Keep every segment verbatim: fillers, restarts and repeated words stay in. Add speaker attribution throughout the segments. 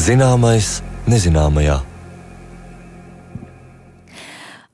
Speaker 1: Zināmais nezināmajā.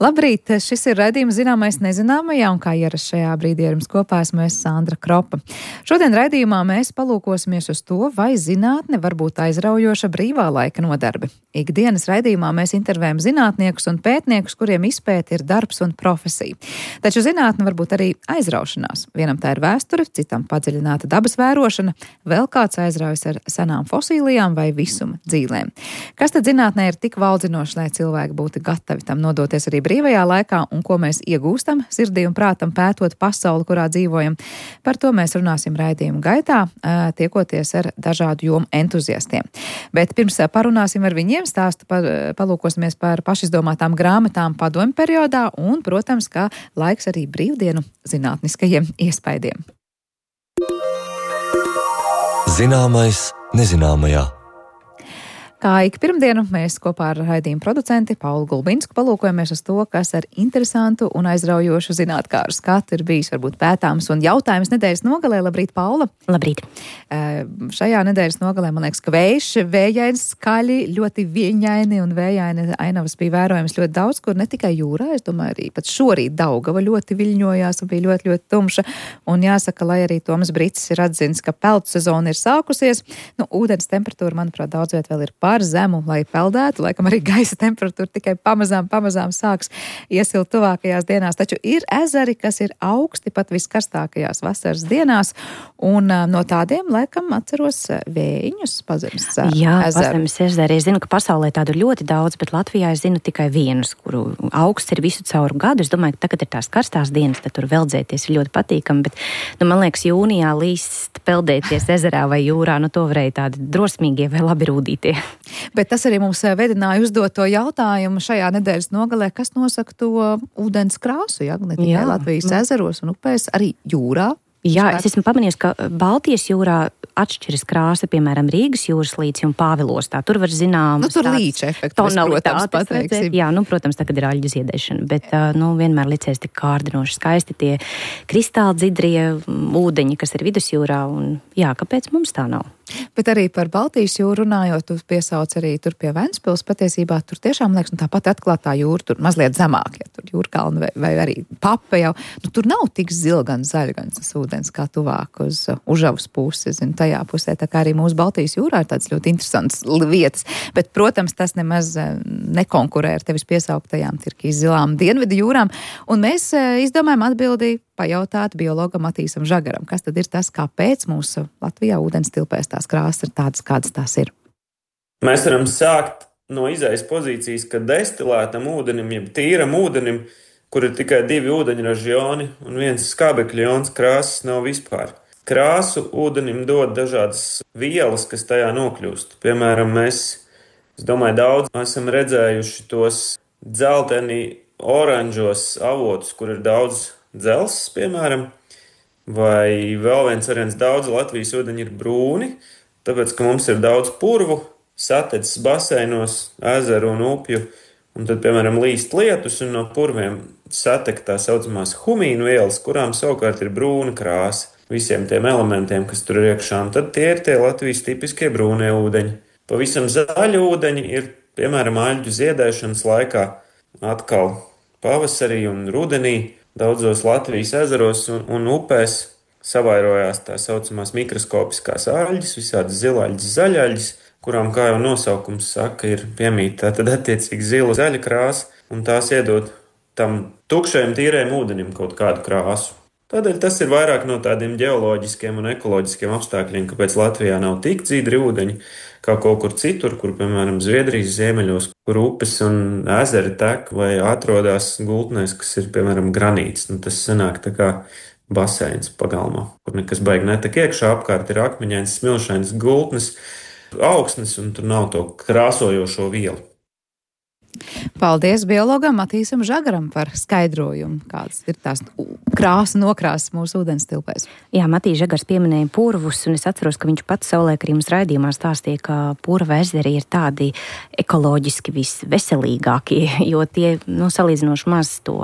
Speaker 2: Labrīt! Šis ir raidījums Zināmais nezināmajā, un kā ierasts šajā brīdī ar jums kopā esmu es Sandra Kropa. Šodien raidījumā mēs palūkosimies uz to, vai zinātne var būt aizraujoša brīvā laika nodarbe. Ikdienas raidījumā mēs intervējam zinātniekus un pētniekus, kuriem izpēte ir darbs un profesija. Taču zinātne var būt arī aizraušanās. Vienam tā ir vēsture, citam padziļināta dabas vērošana, vēl kāds aizraujas ar senām fosīlijām vai visuma dzīlēm. Kas tad zinātnē ir tik valdzinoši, lai cilvēki būtu gatavi tam nodoties arī brīvajā laikā, un ko mēs iegūstam sirdī un prātam pētot pasauli, kurā dzīvojam? Par to mēs runāsim raidījuma gaitā, tiekoties ar dažādu jomu entuziastiem. Bet pirms parunāsim ar viņiem, stāstu par, palūkosimies par pašizdomātām grāmatām padomju periodā un, protams, kā laiks arī brīvdienu zinātniskajiem iespaidiem.
Speaker 1: Zināmais nezināmajā.
Speaker 2: Kā ik pirmdienu mēs kopā ar raidījumu producenti Paulu Gulbinsku palūkojamies uz to, kas ar interesantu un aizraujošu zinātkāru skatu ir bijis varbūt pētāms un jautājums nedēļas nogalē. Labrīt, Paula!
Speaker 3: Labrīt!
Speaker 2: Uh, šajā nedēļas nogalē, man liekas, ka vējš, vējains, skaļi, ļoti viļņaini un vējaini ainavas bija vērojams ļoti daudz, kur ne tikai jūrā, es domāju, arī pat šorīt Daugava ļoti viļņojās un bija ļoti, ļoti tumša. Un jāsaka, lai arī Tomas Bricis ir atzins, ka peltu sezona ir sākusies, nu, ūdens temperatūra, manuprāt, daudz viet vēl ir par zemu, lai peldētu. Laikam arī gaisa temperatūra tikai pamazām, pamazām sāks iesilt tuvākajās dienās. Taču ir ezeri, kas ir augsti pat viskarstākajās vasaras dienās, un uh, no tādiem, laikam, atceros Vējiņus, Pazemes ezeru.
Speaker 3: Jā, Pazemes ezeri. Es zinu, ka pasaulē tādu ļoti daudz, bet Latvijā es zinu tikai vienus, kuru augsts ir visu cauru gadu. Es domāju, ka tagad ir tās karstās dienas, tad tur veldzēties ir ļoti patīkami, bet, nu, man liekas, jūnijā līst peldēties ezerā vai jūrā, nu, to varēja tādi drosmīgie vai labi rūdītie.
Speaker 2: Bet tas arī mums vedināja uzdot to jautājumu šajā nedēļas nogalē, kas nosaka to ūdens krāsu, ja? Ne tikai Jā. Latvijas ezeros un upēs, arī jūrā.
Speaker 3: Jā, es esmu pamanījis, ka Baltijas jūrā atšķiras krāsa, piemēram, Rīgas jūras līci un Pāvilostā. Tur var zinām...
Speaker 2: Nu, tur līča efektu, protams, pateiksim.
Speaker 3: Jā, nu, protams, tagad ir aļģu ziedēšana, bet, nu, vienmēr licies tik kārdinoši skaisti tie kristāli dzidrie ūdeņi, kas ir vidusjūrā, un jā, kāpēc mums tā nav?
Speaker 2: Bet arī par Baltijas jūru runājot, tu piesauc arī tur pie Ventspils, patiesībā tur tiešām, liekas, nu, tāpat atklātā jūra, tur mazliet zemāk, ja tur jūrkalna vai, vai arī Papa jau, nu, tur nav tik zila gan zaļa, gan tas ūdens kā tuvāk uz Užavas pusi, zinu, tajā pusē, tā kā arī mūsu Baltijas jūrā ir tādas ļoti interesantas vietas, bet, protams, tas nemaz nekonkurē ar tevis piesauktajām Tirkijas zilām dienvidu jūrām, un mēs izdomājam atbildi pajautāt biologam Matīsam Žagaram, kas tad ir tas, kāpēc mūsu Latvijā ūdens tilpēs tās krāsas ir tādas, kādas tās ir.
Speaker 4: Mēs varam sākt no izejas pozīcijas, ka destilētam ūdenim, jeb tīram ūdenim, kur ir tikai divi ūdeņraža joni un viens skābekļa jons, krāsas nav vispār. Krāsu ūdenim dod dažādas vielas, kas tajā nokļūst. Piemēram, mēs, es domāju, daudz esam redzējuši tos dzelteni oranžos avotus, kur ir daudz dzelzs, piemēram, vai vēl viens variants, daudz Latvijas ūdeņi ir brūni, tāpēc, ka mums ir daudz purvu, satedzes baseinos, ezeru un upju, un tad, piemēram, līst lietus, un no purviem satek tā saucamās humīnu vielas, kurām savukārt ir brūna krāsa visiem tiem elementiem, kas tur ir iekšā, un tad tie ir tie Latvijas tipiskie brūnie ūdeņi. Pavisam zaļi ūdeņi ir, piemēram, aļģu ziedēšanas laikā, atkal pavasarī un rudenī, daudzos Latvijas ezeros un, un upēs savairojās tā saucamās mikroskopiskās aļģes, visādas zilaļģes, zaļaļģes, kurām, kā jau nosaukums saka, ir piemīta tad attiecīgi zila zaļa krāsa, un tās iedod tam tukšajam tīrējam ūdenim kaut kādu krāsu. Tādēļ tas ir vairāk no tādiem ģeoloģiskiem un ekoloģiskiem apstākļiem, kāpēc Latvijā nav tik dzidri ūdeņi, kā kaut kur citur, kur, piemēram, Zviedrijas ziemeļos, kur upes un ezeri tek vai atrodas gultnēs, kas ir, piemēram, granīts. Nu, tas sanāk tā kā baseins pagalmā, kur nekas baigi netek iekšā, apkārt ir akmeņains, smilšains gultnes, augsnes, un tur nav to krāsojošo vielu.
Speaker 2: Paldies biologam Matīsam Žagaram par skaidrojumu, kādas ir tās krāsa nokrāsas mūsu ūdens tilpēs.
Speaker 3: Jā, Matīs Žagars pieminēja purvus, un es atceros, ka viņš pats saulēk arī mums raidījumā stāstīja, ka purva ezeri ir tādi ekoloģiski visveselīgākie, jo tie, nu, salīdzinoši maz to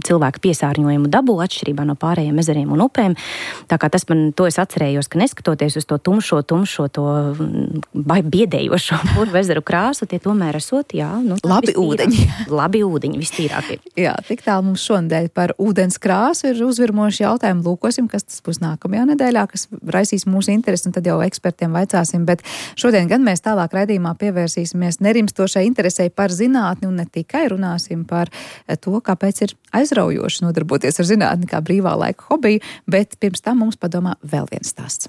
Speaker 3: cilvēku piesārņojumu dabū atšķirībā no pārējiem ezeriem un upēm. Tā kā tas man, to es atcerējos, ka neskatoties uz to tumšo, tumšo, to biedējošo purva ezeru krāsu, tie tomēr esot, jā, nu,
Speaker 2: labi ūdeņi.
Speaker 3: Labi ūdeņi, vistīrākie.
Speaker 2: Jā, tik tālu mums šonadēļ par ūdens krāsu ir uzvirmoši jautājumi. Lūkosim, kas tas būs nākamajā nedēļā, kas raisīs mūsu interesi, un tad jau ekspertiem vaicāsim. Bet šodien gan mēs tālāk raidījumā pievērsīsimies nerimstošai interesei par zinātni, un ne tikai runāsim par to, kāpēc ir aizraujoši nodarboties ar zinātni kā brīvā laika hobiju, bet pirms tam mums padomā vēl viens stāsts.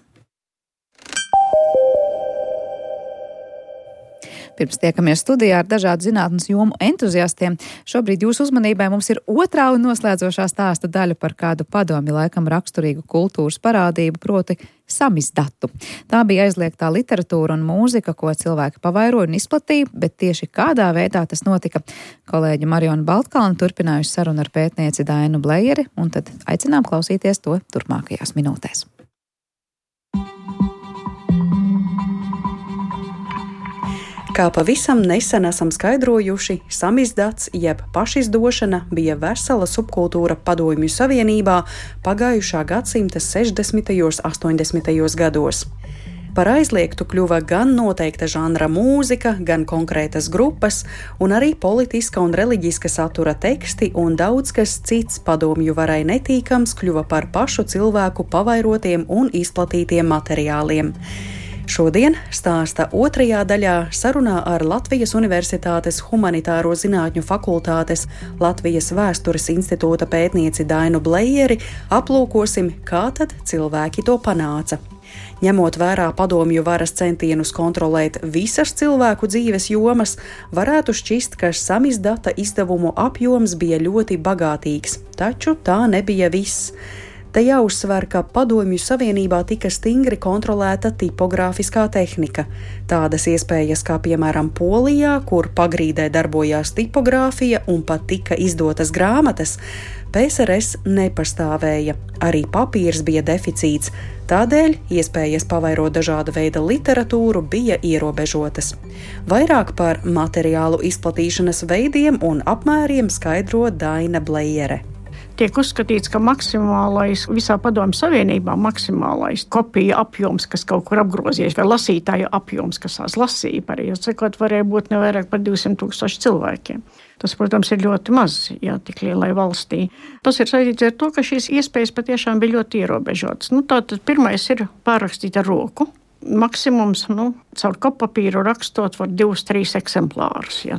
Speaker 2: Pirms tiekamies studijā ar dažādu zinātnes jomu entuziastiem. Šobrīd jūsu uzmanībai mums ir otrā un noslēdzošā stāsta daļa par kādu padomi laikam raksturīgu kultūras parādību, proti samizdatu. Tā bija aizliegtā literatūra un mūzika, ko cilvēki pavairoja un izplatīja, bet tieši kādā veidā tas notika. Kolēģi Mariona Baltkalna turpinājusi sarunu ar pētnieci Dainu Blejeri, un tad aicinām klausīties to turpmākajās minūtēs.
Speaker 5: Kā pavisam nesen esam skaidrojuši, samizdats jeb pašizdošana bija vesela subkultūra Padomju Savienībā pagājušā gadsimta sešdesmitajos, astoņdesmitajos gados. Par aizliegtu kļuva gan noteikta žanra mūzika, gan konkrētas grupas, un arī politiska un reliģiska satura teksti un daudz kas cits padomju varai netīkams kļuva par pašu cilvēku pavairotiem un izplatītiem materiāliem. Šodien stāsta otrajā daļā sarunā ar Latvijas Universitātes Humanitāro zinātņu fakultātes Latvijas Vēstures institūta pētnieci Dainu Blejeri aplūkosim, kā tad cilvēki to panāca. Ņemot vērā padomju varas centienus kontrolēt visas cilvēku dzīves jomas, varētu šķist, ka samizdata izdevumu apjoms bija ļoti bagātīgs, taču tā nebija viss. Te jāuzsver, ka Padomju Savienībā tika stingri kontrolēta tipogrāfiskā tehnika. Tādas iespējas kā piemēram Polijā, kur pagrīdē darbojās tipogrāfija un pat tika izdotas grāmatas, P S R S nepastāvēja. Arī papīrs bija deficīts, tādēļ iespējas pavairot dažāda veida literatūru bija ierobežotas. Vairāk par materiālu izplatīšanas veidiem un apmēriem skaidro Daina Blejere.
Speaker 6: Tiek uzskatīts, ka maksimālais visā Padomju Savienībā maksimālais kopija apjoms, kas kaut kur apgrozies, vai lasītāju apjoms, kas tās lasīja, pareizi sakot, varēja būt ne vairāk par divsimt tūkstoši cilvēkiem. Tas, protams, ir ļoti maz, jā, tik lielai valstī. Tas ir saistīts ar to, ka šīs iespējas patiešām bija ļoti ierobežotas. Nu, tātad pirmais ir pārrakstīt ar roku. Maksimums, nu, caur koppapīru rakstot var divus, trīs eksemplārus. Ja.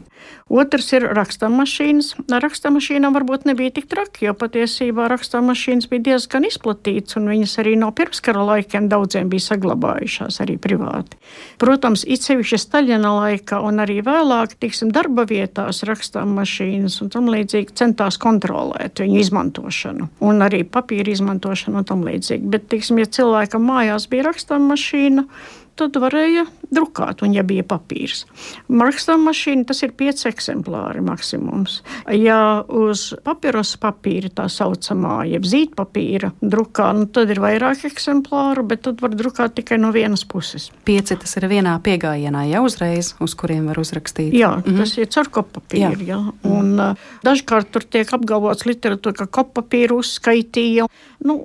Speaker 6: Otrs ir rakstāmašīnas. Rakstāmašīnām varbūt nebija tik traki, jo patiesībā rakstāmašīnas bija diezgan izplatīts, un viņas arī no pirmskara laikiem daudziem bija saglabājušās arī privāti. Protams, it sevišķi Staļina laikā un arī vēlāk, tiksim, darba vietās rakstāmašīnas un tam līdzīgi centās kontrolēt viņu izmantošanu un arī papīra izmantošanu un tam līdzīgi. Bet, tiksim, ja cilvēkam mājās bija rakstāmašīna, tad varēja drukāt, un ja bija papīrs. Rakstāmašīna, tas ir pieci eksemplāri maksimums. Ja uz papirosa papīra tā saucamā, jeb zīdpapīra drukā, nu tad ir vairāk eksemplāru, bet tad var drukāt tikai no vienas puses.
Speaker 5: Pieci tas ir vienā piegājienā, ja uzreiz, uz kuriem var uzrakstīt.
Speaker 6: Jā, mm-hmm. Tas ir caur koppapīru, jā. jā. Un uh, dažkārt tur tiek apgalvots literatūra, ka koppapīru uzskaitīja. Nu,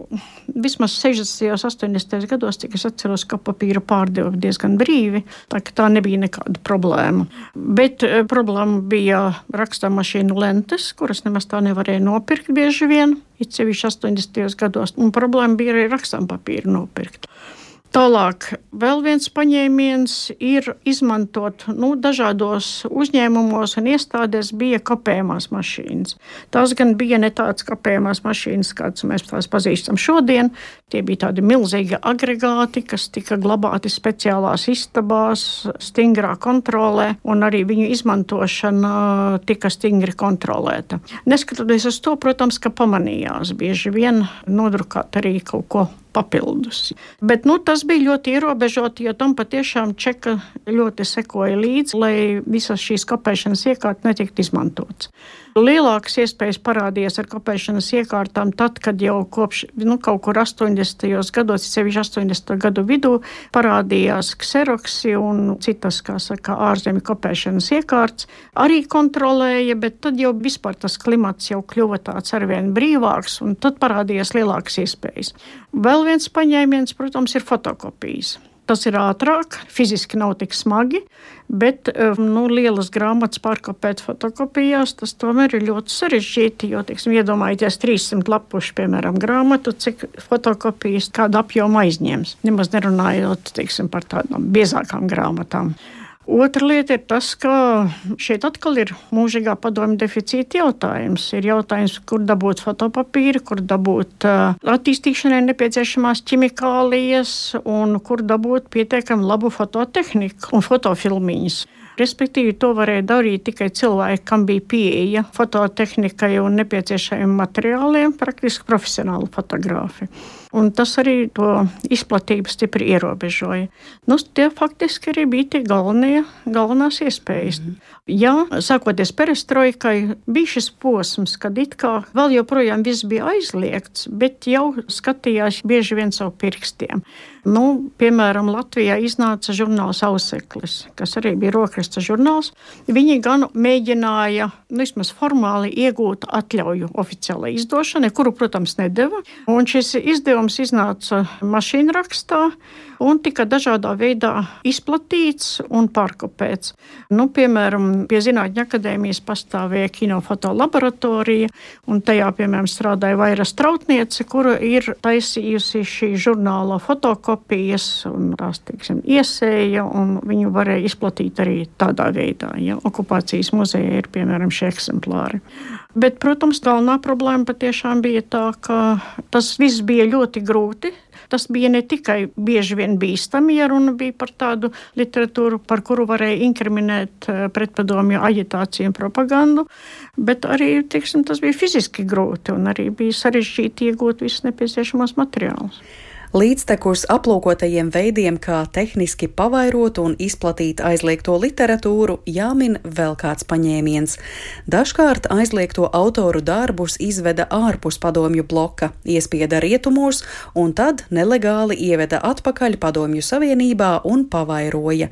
Speaker 6: vismaz sešdesmitajos, astoņdesmitajos gados, cik es atceros, koppapīru pārdeva diezgan brīvi, tā ka tā nebija nekāda problēma. Bet e, problēma bija rakstāmašīnu lentes, kuras nemaz tā nevarēja nopirkt bieži vien, it sevišķi astoņdesmitajos gados, un problēma bija arī rakstāmpapīru nopirkt. Tālāk, vēl viens paņēmiens ir izmantot, nu, dažādos uzņēmumos un iestādēs bija kopējumās mašīnas. Tās gan bija ne tādas kopējumās mašīnas, kādas mēs tās pazīstam šodien. Tie bija tādi milzīgi agregāti, kas tika glabāti speciālās istabās, stingrā kontrolē, un arī viņu izmantošana tika stingri kontrolēta. Neskatoties uz to, protams, ka pamanījās bieži vien nodrukāt arī kaut ko papildus. Bet nu, tas bija ļoti ierobežoti, jo tam patiešām Čeka ļoti sekoja līdzi, lai visas šīs kopēšanas iekārtas netiktu izmantotas. Lielākas iespējas parādījās ar kopēšanas iekārtām tad, kad jau kopš nu, kaut kur astoņdesmitajos gados, sevišķi astoņdesmito gadu vidū, parādījās kseroksi un citas, kā saka, ārzemju kopēšanas iekārtas. Arī kontrolēja, bet tad jau vispār tas klimats jau kļuva tāds arvien brīvāks, un tad parādījās lielākas iespējas. Vēl viens paņēmiens, protams, ir fotokopijas. Tas ir ātrāk, fiziski nav tik smagi, bet nu, lielas grāmatas pārkopēt fotokopijās, tas tomēr ir ļoti sarežģīti, jo, teiksim, iedomājieties trīssimt lapušu, piemēram, grāmatu, cik fotokopijas kādu apjomu aizņems, nemaz nerunājot, teiksim, par tādām biezākām grāmatām. Otra lieta ir tas, ka šeit atkal ir mūžīgā padomju deficīta jautājums. Ir jautājums, kur dabūt fotopapīru, kur dabūt uh, attīstīšanai nepieciešamās ķimikālijas un kur dabūt pietiekami labu fototehniku un fotofilmiņas. Respektīvi, to varēja darīt tikai cilvēki, kam bija pieeja fototehnikai un nepieciešamiem materiāliem, praktiski profesionāli fotogrāfi. Un tas arī to izplatību stipri ierobežoja. Nu, tie faktiski arī bija tie galvenie, galvenās iespējas. Mm. Jā, sākoties perestroikai, bija šis posms, kad it kā vēl joprojām viss bija aizliegts, bet jau skatījās bieži vien savu pirkstiem. Nu, piemēram, Latvijā iznāca žurnāls Auseklis, kas arī bija rokraksta žurnāls. Viņi gan mēģināja, nu, vismaz formāli iegūt atļauju oficiālai izdošanai, kuru, protams, nedeva. Un šis izdevums iznāca mašīnrakstā un tika dažādā veidā izplatīts un pārkopēts. Nu, piemēram, pie Zinātņu akadēmijas pastāvēja kinofoto laboratorija, un tajā, piemēram, strādāja Vaira Strautniece, kura ir taisījusi šī žurnāla fotokopijas un tās, teiksim, iesēja, un viņu varēja izplatīt arī tādā veidā. Ja? Okupācijas muzejā ir, piemēram, šie eksemplāri. Bet, protams, galvenā problēma patiešām bija tā, ka tas viss bija ļoti grūti. Tas bija ne tikai bieži vien bīstami, ja runa bija par tādu literatūru, par kuru varēja inkriminēt pretpadomju aģitāciju un propagandu, bet arī, teiksim, tas bija fiziski grūti un arī bija sarežģīti iegūt visus nepieciešamos materiālus.
Speaker 5: Līdztekus aplūkotajiem veidiem, kā tehniski pavairot un izplatīt aizliegto literatūru, jāmin vēl kāds paņēmiens. Dažkārt aizliegto autoru darbus izveda ārpus padomju bloka, iespieda rietumos un tad nelegāli ieveda atpakaļ Padomju Savienībā un pavairoja.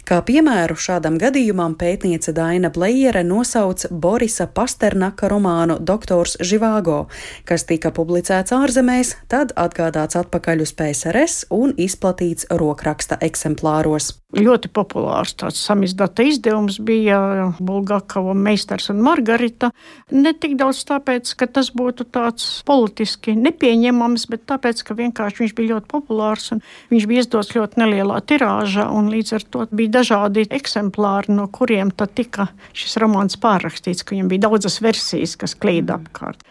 Speaker 5: Kā piemēru šādam gadījumam pētniece Daina Blejere nosauc Borisa Pasternaka romānu Doktors Živāgo, kas tika publicēts ārzemēs, tad atgādāts atpakaļ uz P S R S un izplatīts rokraksta eksemplāros.
Speaker 6: Ļoti populārs tāds samizdata izdevums bija Bulgakova Meistars un Margarita. Ne tik daudz tāpēc, ka tas būtu tāds politiski nepieņemams, bet tāpēc, ka vienkārši viņš bija ļoti populārs un viņš bija izdots ļoti nelielā tirāžā un līdz ar to bija dažādi eksemplāri, no kuriem tad tika šis romāns pārrakstīts, ka viņam bija daudzas versijas, kas klīda apkārt.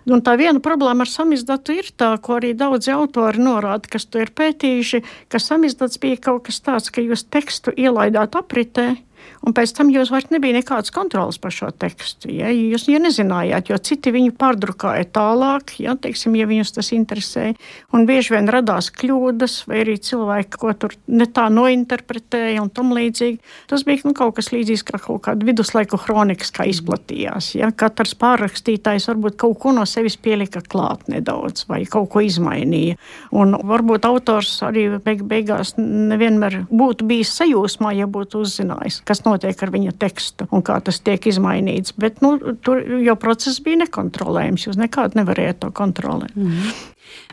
Speaker 6: Un tā viena problēma ar samizdatu ir tā, ko arī daudzi autori norāda, kas to ir pētījuši, ka samizdats bija kaut kas tāds, ka jūs tekstu ielaidāt apritē, un pēc tam jūs vairs nebija nekādas kontrolas par šo tekstu. Ja? Jūs ja nezinājāt, jo citi viņu pārdrukāja tālāk, ja, teiksim, ja viņus tas interesēja. Un bieži vien radās kļūdas, vai arī cilvēki, ko tur ne tā nointerpretēja un tam līdzīgi. Tas bija nu, kaut kas līdzīgs kā kaut kāda viduslaiku kronikas, kā izplatījās. Ja? Katrs pārrakstītājs varbūt kaut ko no sevis pielika klāt nedaudz vai kaut ko izmainīja. Un varbūt autors arī beig beigās nevienmēr būtu bijis sajūsmā, ja būtu uzzinājis, kas notiek ar viņa tekstu un kā tas tiek izmainīts. Bet nu, tur jau process bija nekontrolējams. Jūs nekādu nevarējāt to kontrolēt.
Speaker 5: Mm.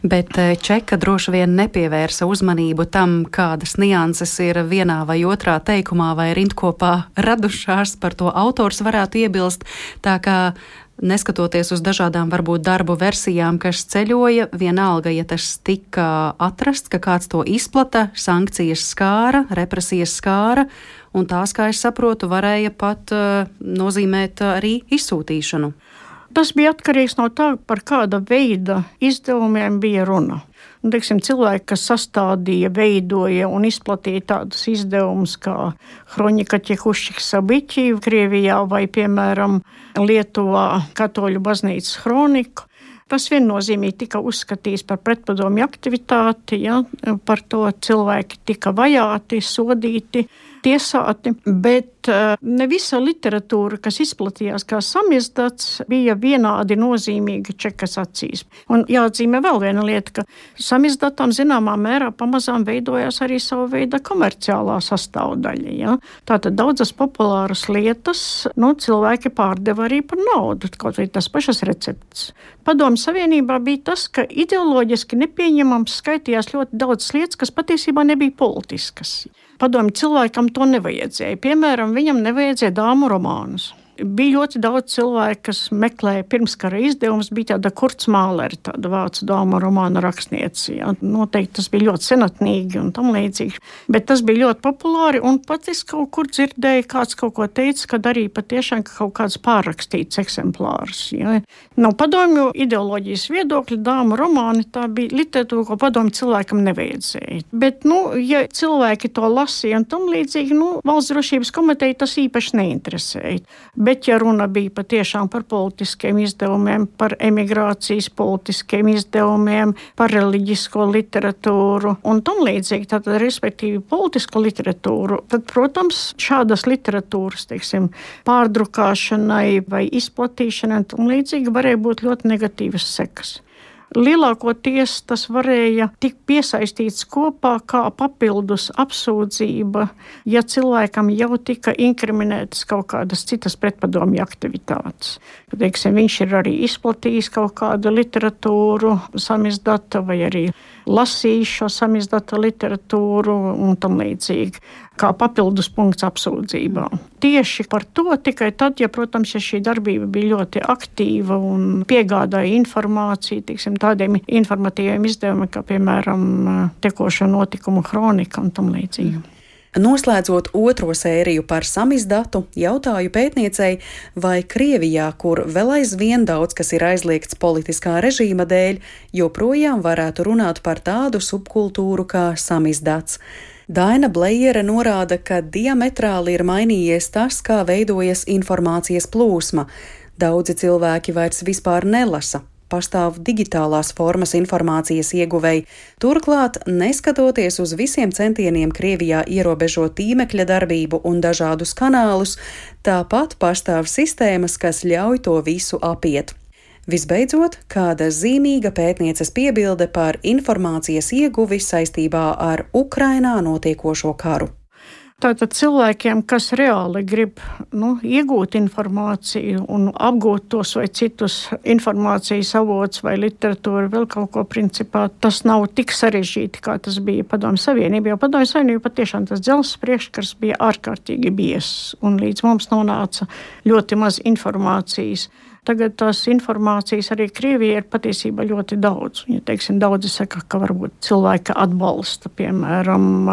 Speaker 5: Bet Čeka droši vien nepievērsa uzmanību tam, kādas nianses ir vienā vai otrā teikumā vai rindkopā radušās, par to autors varētu iebilst. Tā kā neskatoties uz dažādām varbūt darbu versijām, kas ceļoja, vienalga, ja tas tika atrasts, ka kāds to izplata, sankcijas skāra, represijas skāra, un tās, kā es saprotu, varēja pat uh, nozīmēt uh, arī izsūtīšanu.
Speaker 6: Tas bija atkarīgs no tā, par kāda veida izdevumiem bija runa. Un, teiksim, cilvēki, kas sastādīja, veidoja un izplatīja tādus izdevumus kā Hronika Ķekušķika Sabiķi Krievijā vai, piemēram, Lietuvā Katoļu baznīcas Hroniku, Tas viennozīmīgi tika uzskatīts par pretpadomju aktivitāti, ja, par to cilvēki tika vajāti, sodīti, tiesāti, bet ne visa literatūra, kas izplatījās kā samizdats, bija vienādi nozīmīga Čekas acīs. Un jāatzīmē vēl viena lieta, ka samizdatam zināmā mērā pamazām veidojās arī savu veidu komerciālā sastāvdaļa. Ja? Tātad daudzas populāras lietas, nu, cilvēki pārdeva arī par naudu, kaut vai tas pašas receptes. Padomju Savienībā bija tas, ka ideoloģiski nepieņemams skaitījās ļoti daudz lietas, kas patiesībā nebija politiskas. Padomju cilvēkam to nevajadzēja. Piemēram, viņam nevajadzēja dāmu romānus. Bija ļoti daudz cilvēku, kas meklēja pirmskara izdevumus, bija tāda Kurts Mālere, tāda vācu dāmu romāna rakstniece. Ja. Noteikti tas bija ļoti senatnīgi un tam līdzīgi. Bet tas bija ļoti populāri, un pat es kaut kur dzirdēju, kāds kaut ko teica, kad arī patiešām kaut kāds pārrakstīts eksemplārs. Ja. No padomju ideoloģijas viedokļa dāmu romāni tā bija literatūra, ko padomju cilvēkam nevajadzēja. Bet, nu, ja cilvēki to lasīja un tam līdzīgi, nu, Valsts drošības komiteja tas īpaši neinteresēja. Bet, ja runa bija patiešām par politiskiem izdevumiem, par emigrācijas politiskiem izdevumiem, par reliģisko literatūru un tam līdzīgi, tad, respektīvi, politisko literatūru, tad, protams, šādas literatūras, teiksim, pārdrukāšanai vai izplatīšanai un tam līdzīgi varēja būt ļoti negatīvas sekas. Lielākoties tas varēja tikt piesaistīts kopā kā papildus apsūdzība, ja cilvēkam jau tika inkriminētas kaut kādas citas pretpadomju aktivitātes. Teiksim, viņš ir arī izplatījis kaut kādu literatūru samizdata vai arī lasījis šo samizdata literatūru un tam līdzīgi, kā papildus punkts apsūdzībā. Tieši par to tikai tad, ja, protams, ja šī darbība bija ļoti aktīva un piegādāja informāciju, teiksim, tādiem informatīviem izdevumiem, kā, piemēram, tekošo notikumu kronika un tam līdzīgi.
Speaker 5: Noslēdzot otro sēriju par samizdatu, jautāju pētniecei, vai Krievijā, kur vēl aizvien daudz kas ir aizliegts politiskā režīma dēļ, joprojām varētu runāt par tādu subkultūru kā samizdats. Daina Blejere norāda, ka diametrāli ir mainījies tas, kā veidojas informācijas plūsma. Daudzi cilvēki vairs vispār nelasa. Pastāv digitālās formas informācijas ieguvēji. Turklāt, neskatoties uz visiem centieniem Krievijā ierobežot tīmekļa darbību un dažādus kanālus, tāpat pastāv sistēmas, kas ļauj to visu apiet. Visbeidzot, kāda zīmīga pētnieces piebilde par informācijas ieguvi saistībā ar Ukrainā notiekošo karu.
Speaker 6: Tātad cilvēkiem, kas reāli grib nu, iegūt informāciju un apgūt tos vai citus informācijas avots vai literatūru, vēl kaut ko principā, tas nav tik sarežģīti, kā tas bija Padomju Savienībā. Jo Padomju Savienībā patiešām tas dzelzs priekškars bija ārkārtīgi biezs un līdz mums nonāca ļoti maz informācijas. Tagad tās informācijas arī Krievijai ir patiesībā ļoti daudz. Ja, teiksim, daudzi saka, ka varbūt cilvēki atbalsta, piemēram,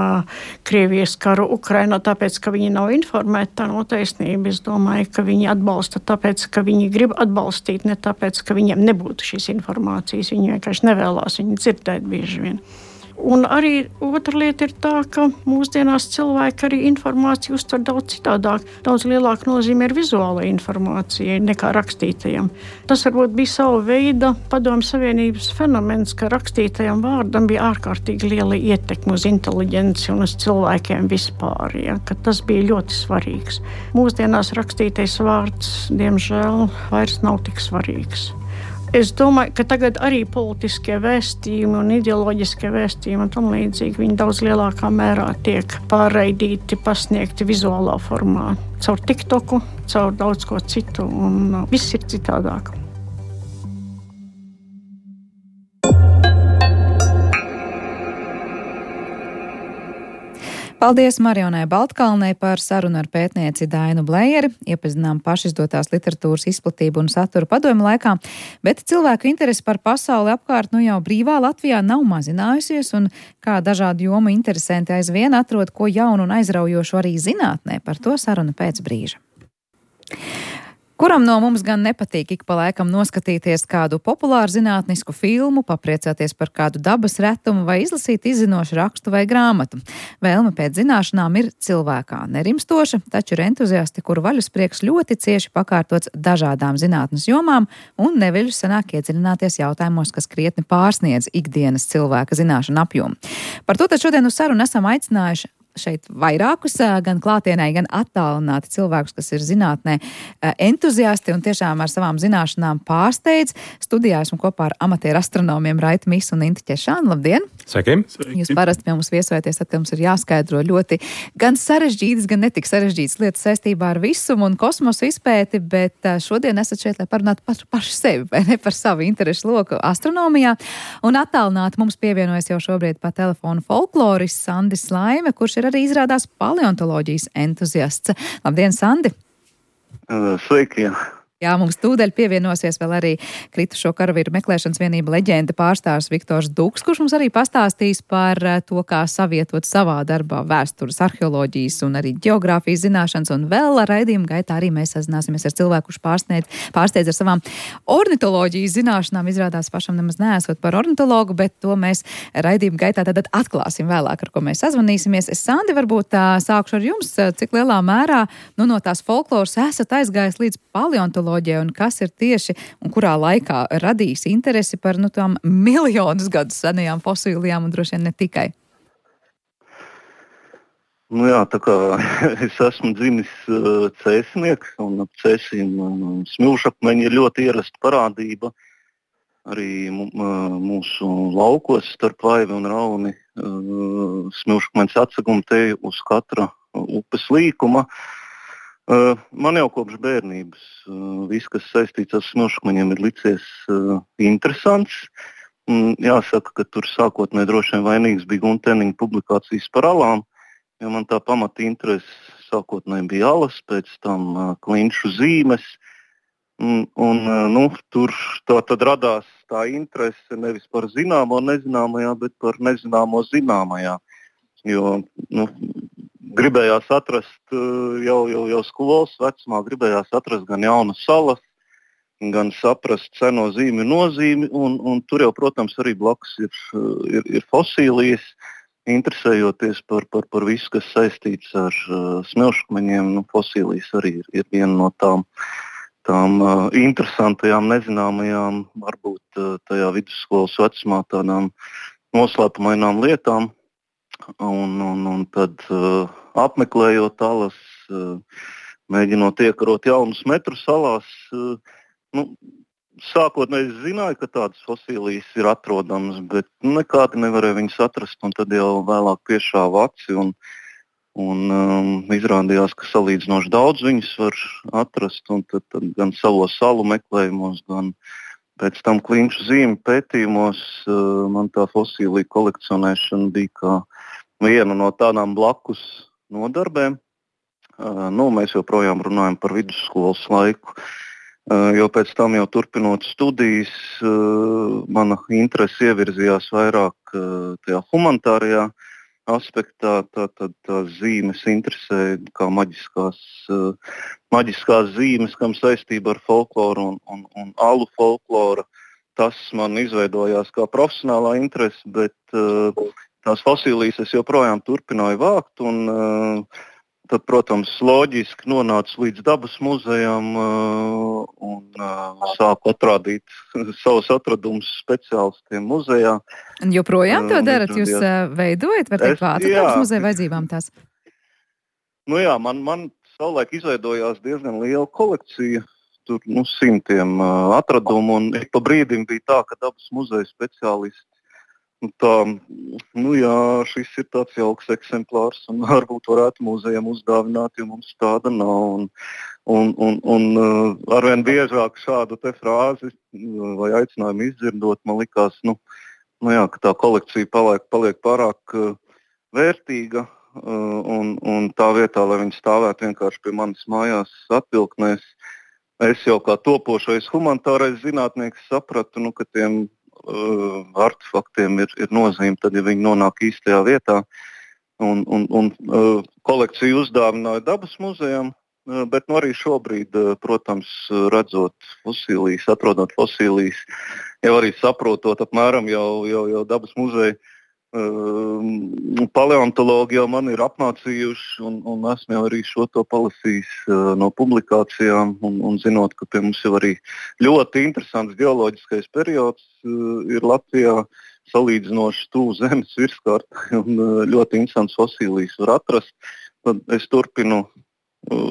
Speaker 6: Krievijas karu Ukrainā, tāpēc, ka viņi nav informēti, tā nav taisnība. Es domāju, ka viņi atbalsta tāpēc, ka viņi grib atbalstīt, ne tāpēc, ka viņiem nebūtu šīs informācijas. Viņi vienkārši nevēlās viņu dzirdēt bieži vien. Un arī otra lieta ir tā, ka mūsdienās cilvēki arī informāciju uztver daudz citādāk. Daudz lielāka nozīme ir vizuālai informācijai nekā rakstītajam. Tas varbūt bija sava veida Padomju Savienības fenomens, ka rakstītajam vārdam bija ārkārtīgi liela ietekme uz inteliģenci un uz cilvēkiem vispār. Ja, ka tas bija ļoti svarīgs. Mūsdienās rakstītais vārds, diemžēl, vairs nav tik svarīgs. Es domāju, ka tagad arī politiskie vēstījumi un ideoloģiskie vēstījumi un tam līdzīgi viņi daudz lielākā mērā tiek pārraidīti, pasniegti vizuālā formā. Caur TikToku, caur daudz ko citu un viss ir citādāk.
Speaker 2: Paldies Marijonai Baltkalnei par sarunu ar pētnieci Dainu Blejeri. Iepazinām pašizdotās literatūras izplatību un saturu padomju laikā, bet cilvēku interesi par pasauli apkārt nu jau brīvā Latvijā nav mazinājusies, un kā dažādu jomu interesanti aizvien atrod ko jaunu un aizraujošu arī zinātnē. Par to saruna pēc brīža. Kuram no mums gan nepatīk ik pa laikam noskatīties kādu populāru zinātnisku filmu, papriecāties par kādu dabas retumu vai izlasīt izzinošu rakstu vai grāmatu. Vēlme pēc zināšanām ir cilvēkā nerimstoša, taču ir entuziasti, kuru vaļasprieks ļoti cieši pakārtots dažādām zinātnes jomām un neveļus sanāk iedziļināties jautājumos, kas krietni pārsniedz ikdienas cilvēka zināšanu apjomu. Par to tad šodien uz sarunu esam aicinājuši šeit vairākus, gan klātienē, gan attālināti cilvēkus, kas ir zinātnē entuziasti un tiešām ar savām zināšanām pārsteidz. Studijā esmu kopā ar amatieru astronomiem Raitu Misu un Inti Ķešānu. Labdien!
Speaker 7: Sveiki!
Speaker 2: Jūs parasti pie mums viesojaties, tad mums ir jāskaidro ļoti gan sarežģītas, gan netik sarežģītas lietas saistībā ar visumu un kosmosu izpēti, bet šodien esat šeit, lai parunātu par pašu sevi, vai ne par savu interešu loku astronomijā. Un attālināti mums pievienojas jau šobrīd pa telefonu folklorists Sandis Laime, kurš ir arī izrādās paleontoloģijas entuziasts. Labdien, Sandi!
Speaker 8: Sveiki!
Speaker 2: Jā, mums tūdaļ pievienosies vēl arī kritušo karavīru meklēšanas vienība leģenda pārstāvis Viktors Duks, kurš mums arī pastāstīs par to, kā savietot savā darbā vēstures, arheoloģijas un arī ģeogrāfijas zināšanas, un vēl raidījuma gaitā arī mēs sazināsimies ar cilvēku, kurš pārsniedz, pārsteidz ar savām ornitoloģijas zināšanām. Izrādās pašam nemaz neesot par ornitologu, bet to mēs raidījuma gaitā tad atklāsim vēlāk, ar ko mēs sazvanīsimies. Es, Sandi, varbūt sākšu ar jums, cik lielā mērā nu, no tās folkloras esat aizgājis līdz paleontoloģijai, un kas ir tieši un kurā laikā radīs interesi par nu, tām miljonus gadus senajām fosilijām un droši vien ne tikai?
Speaker 8: Nu jā, tā kā es esmu dzimis uh, cēsnieks, un ap cēsīm uh, smilšakmeņi ir ļoti ierasta parādība. Arī uh, mūsu laukos starp Vaivi un Rauni uh, smilšakmeņs atsegumi te uz katra uh, upes līkuma. Uh, man jau kopš bērnības uh, viss, kas saistīts ar smilšakmeņiem, ir licies uh, interesants. Mm, jāsaka, ka tur sākotnēji droši vien vainīgs bija Gunteniņa publikācijas par alām, jo man tā pamata interese sākotnēji bija alas, pēc tam uh, klinšu zīmes. Mm, un uh, nu, tur tā tad radās tā interese nevis par zināmo nezināmajā, bet par nezināmo zināmajā. Jo, nu, gribējās atrast jau, jau, jau skolas vecumā, gribējās atrast gan jaunas salas, gan saprast seno zīmju nozīmi, un, un tur jau, protams, arī blakus ir, ir, ir fosīlijas, interesējoties par, par, par visu, kas saistīts ar uh, smilšakmeņiem. Nu, fosīlijas arī ir, ir viena no tām, tām uh, interesantajām, nezināmajām, varbūt uh, tajā vidusskolas vecumā tādām noslēpumainām lietām. Un, un, un tad uh, apmeklējot alas, uh, mēģinot iekarot jaunus metrus salās, uh, nu, sākotnēji es zināju, ka tādas fosīlijas ir atrodamas, bet nekādi nevarēja viņas atrast, un tad jau vēlāk piešāva aci, un, un um, izrādījās, ka salīdzinoši daudz viņas var atrast, un tad, tad gan savos salu meklējumos, gan pēc tam klinšu zīmju pētījumos uh, man tā fosīlija kolekcionēšana bija kā viena no tādām blakus nodarbēm. Uh, nu, mēs joprojām runājam par vidusskolas laiku, uh, jo pēc tam jau turpinot studijas, uh, mana interese ievirzījās vairāk uh, tajā humanitārajā aspektā. Tā, tā, tā zīmes interesē kā maģiskās, uh, maģiskās zīmes, kam saistība ar folkloru un, un, un alu folkloru. Tas man izveidojās kā profesionālā interese, bet uh, tās fosīlijas es joprojām turpināju vākt, un uh, tad, protams, loģiski nonācu līdz dabas muzejam uh, un uh, sāku atrādīt savus atradumus speciālistiem muzejā.
Speaker 2: Un joprojām to darat? Jūs uh, veidojat, var teikt, vātu dabas muzeja vajadzībām tās?
Speaker 8: Nu jā, man, man savulaik izveidojās diezgan liela kolekcija, tur nu, simtiem uh, atradumu, un ik pa brīdim bija tā, ka dabas muzeja speciālisti Tā, nu jā, šis ir tāds jauks eksemplārs, un varbūt varētu muzejam uzdāvināt, jo mums tāda nav. Un, un, un, un arvien biežāk šādu te frāzi vai aicinājumu izdzirdot, man likās, nu, nu jā, ka tā kolekcija paliek, paliek pārāk uh, vērtīga, uh, un, un tā vietā, lai viņi stāvētu vienkārši pie manis mājās atvilknēs, es jau kā topošais humanitārais zinātnieks sapratu, nu, ka tiem Uh, artefaktiem ir, ir nozīme, tad, ja viņi nonāk īstajā vietā. Un, un, un uh, kolekciju uzdāvināja dabas muzejam, bet nu, arī šobrīd, protams, redzot fosīlijas, atrodot fosīlijas, jau arī saprotot apmēram jau, jau, jau dabas muzeja paleontologi jau man ir apmācījuši, un, un esmu jau arī šo to palasījis no publikācijām, un, un zinot, ka pie mums jau arī ļoti interesants geoloģiskais periods ir Latvijā, salīdzinoši tuvu zemes virskārtai, un ļoti interesants fosīlijas var atrast. Tad es turpinu,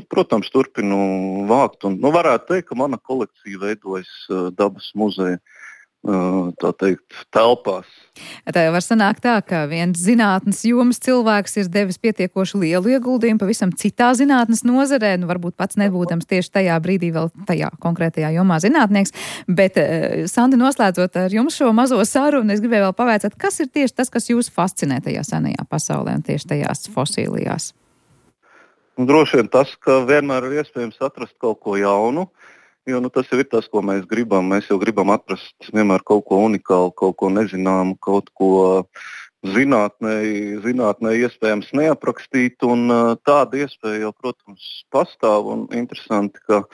Speaker 8: protams, turpinu vākt, un nu, varētu teikt, ka mana kolekcija veidojas dabas muzeja, tā teikt, telpās.
Speaker 2: Tā jau var sanākt tā, ka viens zinātnes jomas cilvēks ir devis pietiekoši lielu ieguldījumu pavisam citā zinātnes nozarē, nu varbūt pats nebūdams tieši tajā brīdī vēl tajā konkrētajā jomā zinātnieks, bet Sandi, noslēdzot ar jums šo mazo sarunu, es gribēju vēl pavaicāt, kas ir tieši tas, kas jūs fascinē tajā senajā pasaulē un tieši tajās fosīlijās?
Speaker 8: Nu, droši vien tas, ka vienmēr ir iespējams atrast kaut ko jaunu. Jo nu, tas jau ir tas, ko mēs gribam. Mēs jau gribam atrast vienmēr kaut ko unikālu, kaut ko nezināmu, kaut ko zinātnē, zinātnē iespējams neaprakstīt. Un tāda iespēja jau, protams, pastāv un interesanti, ka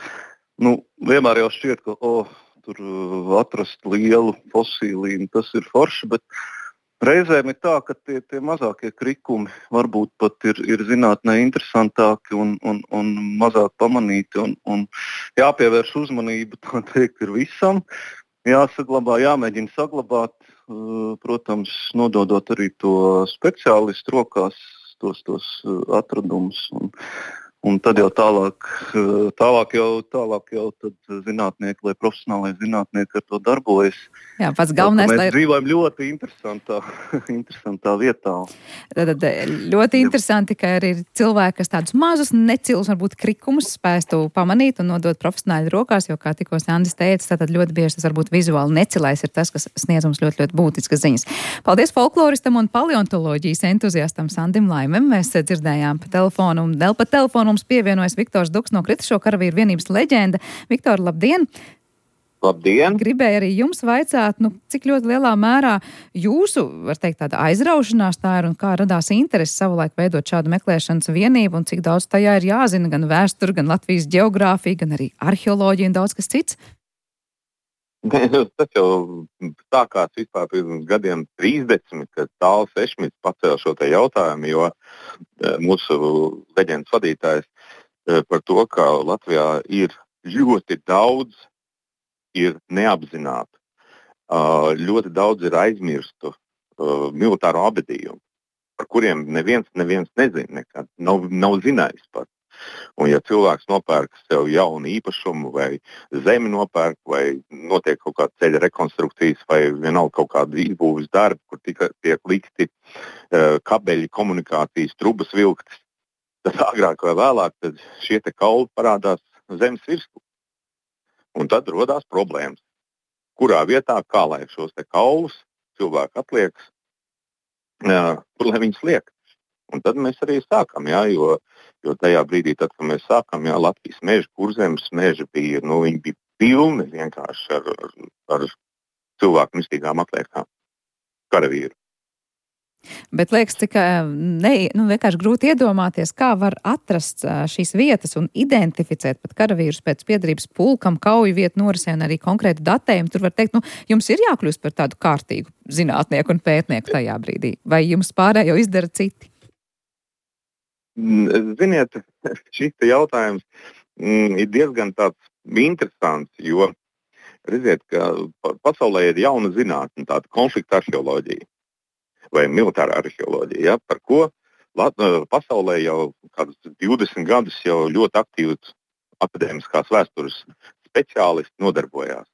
Speaker 8: nu, vienmēr jau šķiet, ka oh, tur atrast lielu fosīliju, tas ir forši, bet reizēm ir tā, ka tie, tie mazākie krikumi varbūt pat ir, ir zinātnē interesantāki un, un, un mazāk pamanīti. Un, un jāpievērš uzmanība, tā teikt, ir visam. Jāsaglabā, jāmēģina saglabāt, protams, nododot arī to speciālistu rokās, tos, tos atradumus. Un, un tad jau tālāk, tālāk jau, tālāk jau tad zinātnieki, lai profesionālai zinātnieki ar to darbojas.
Speaker 2: Jā, pats galvenais,
Speaker 8: mēs
Speaker 2: lai...
Speaker 8: dzīvojam ļoti interesantā, interesantā vietā.
Speaker 2: Tad ļoti interesanti, ka arī ir cilvēki, kas tādus mazus, necilus, varbūt krikumus spēstu pamanīt un nodot profesionāļu rokās, jo, kā tikko Sandis teica, tad ļoti bieži tas varbūt vizuāli necilais ir tas, kas sniedz mums ļoti, ļoti būtiskas ziņas. Paldies folkloristam un paleontoloģijas entuziastam Sandim Laimem. Mēs dzirdējām pa telefonu un vēl pa telefonu mums pievienojas Viktors Duks no Kritušo karavīru vienības leģenda. Viktor, labdien!
Speaker 7: Labdien!
Speaker 2: Gribēju arī jums vaicāt, nu, cik ļoti lielā mērā jūsu, var teikt, tāda aizraušanās tā ir un kā radās interesi savulaik veidot šādu meklēšanas vienību un cik daudz tajā ir jāzina gan vēsture, gan Latvijas ģeogrāfija, gan arī arheoloģija un daudz kas cits?
Speaker 7: Tas jau sākās vispār pirms gadiem trīsdesmit, kad Tāls Ešmits pacēla šo te jautājumu, jo mūsu leģendas vadītājs par to, ka Latvijā ir ļoti daudz ir neapzināti. Ļoti daudz ir aizmirstu militāro abadījumu, par kuriem neviens, neviens nezina nekad, nav, nav zinājis par. Un ja cilvēks nopērk sev jaunu īpašumu vai zemi nopērk vai notiek kaut kāda ceļa rekonstrukcijas vai vienalga kaut kāda izbūves darbi, kur tika, tiek likti uh, kabeļi, komunikācijas, trubas vilktas, tad agrāk vai vēlāk tad šie te kauli parādās zemes virsmu. Un tad rodās problēmas. Kurā vietā, kā lai šos te kaulus cilvēki atliekas, uh, kur lai viņus liek. Un tad mēs arī sākam, jā, jo, jo tajā brīdī, tad, kad mēs sākam, jā, Latvijas meži, Kurzemes meži bija, nu, viņi bija pilni vienkārši ar, ar, ar cilvēku mistīgām atliekām, karavīru.
Speaker 2: Bet liekas, ka ne, nu, vienkārši grūti iedomāties, kā var atrast šīs vietas un identificēt pat karavīrus pēc piederības pulkam, kauju vietu norisē un arī konkrētu datējumu. Tur var teikt, nu, jums ir jākļūst par tādu kārtīgu zinātnieku un pētnieku tajā brīdī, vai jums pārējo izdara citi?
Speaker 7: Ziniet, šis jautājums mm, ir diezgan tāds interesants, jo redziet, ka pasaulē ir jauna zinātne, tāda konflikta arheoloģija vai militāra arheoloģija, ja, par ko pasaulē jau kādus divdesmit gadus jau ļoti aktīvas akadēmiskās vēstures speciālisti nodarbojās.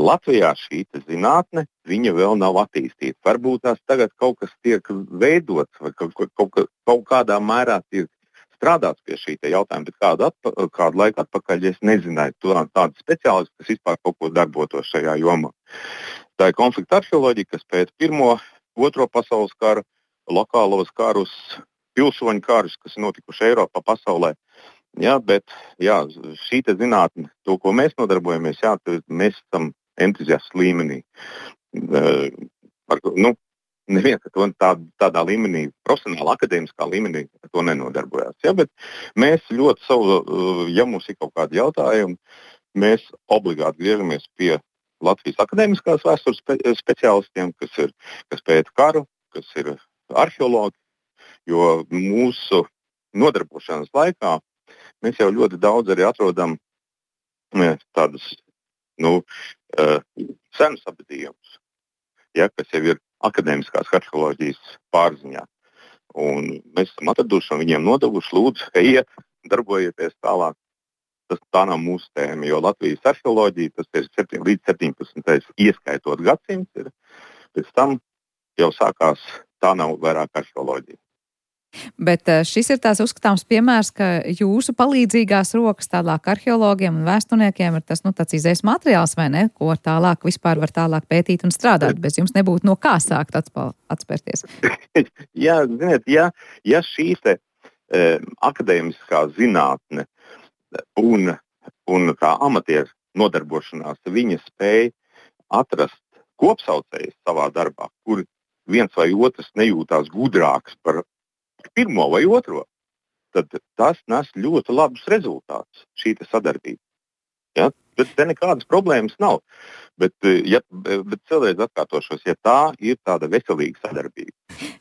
Speaker 7: Latvijā šī zinātne, viņa vēl nav attīstīta. Varbūt tās tagad kaut kas tiek veidots vai kaut, kaut, kaut kādā mērā tiek strādāts pie šī jautājuma, bet kādu, atpa, kādu laiku atpakaļ es nezināju tādu speciālistu, kas vispār kaut ko darbotos šajā jomā. Tā ir konflikta arheoloģija, kas pēc pirmo, otro pasaules kara, lokālos karus, pilsoņu karus, kas ir notikuši Eiropā, pasaulē. Jā, bet jā, šī te zinātne, to, ko mēs nodarbojamies, jā, mēs esam entuziastu līmenī. Uh, par, nu, neviens ar to tā, tādā līmenī, profesionāli, akadēmiskā līmenī ar to nenodarbojās. Ja? Bet mēs ļoti savu, ja mums ir kaut kādi jautājumi, mēs obligāti griežamies pie Latvijas akadēmiskās vēstures spe, speciālistiem, kas, ir, kas pēta karu, kas ir arheologi, jo mūsu nodarbošanas laikā mēs jau ļoti daudz arī atrodam tādus nu, senus apbedījumus, ja, kas jau ir akadēmiskās arheoloģijas pārziņā. Un mēs esam atraduši un viņiem nodevuši, lūdzu, ejiet, darbojieties tālāk. Tas tā nav mūsu tēma, jo Latvijas arheoloģija, tas ir septiņi, līdz septiņpadsmitais ieskaitot gadsimts, ir, pēc tam jau sākās, tā nav vairāk arheoloģija.
Speaker 2: Bet šis ir tās uzskatāms piemērs, ka jūsu palīdzīgās rokas tālāk arheologiem un vēsturniekiem ir tas, nu, tāds izējas materiāls, vai ne, ko tālāk vispār var tālāk pētīt un strādāt, bez jums nebūtu no kā sākt atspērties.
Speaker 7: Jā, ziniet, ja, ja šī te e, akadēmiskā zinātne un, un kā amatieru nodarbošanās, viņa spēja atrast kopsaucējus savā darbā, kur viens vai otrs nejūtās gudrāks par pirmo vai otro, tad tas nes ļoti labus rezultātus, šī sadarbība. Ja? Bet te nekādas problēmas nav. Bet, ja, bet vēlreiz atkārtošos, ja tā ir tāda veselīga sadarbība.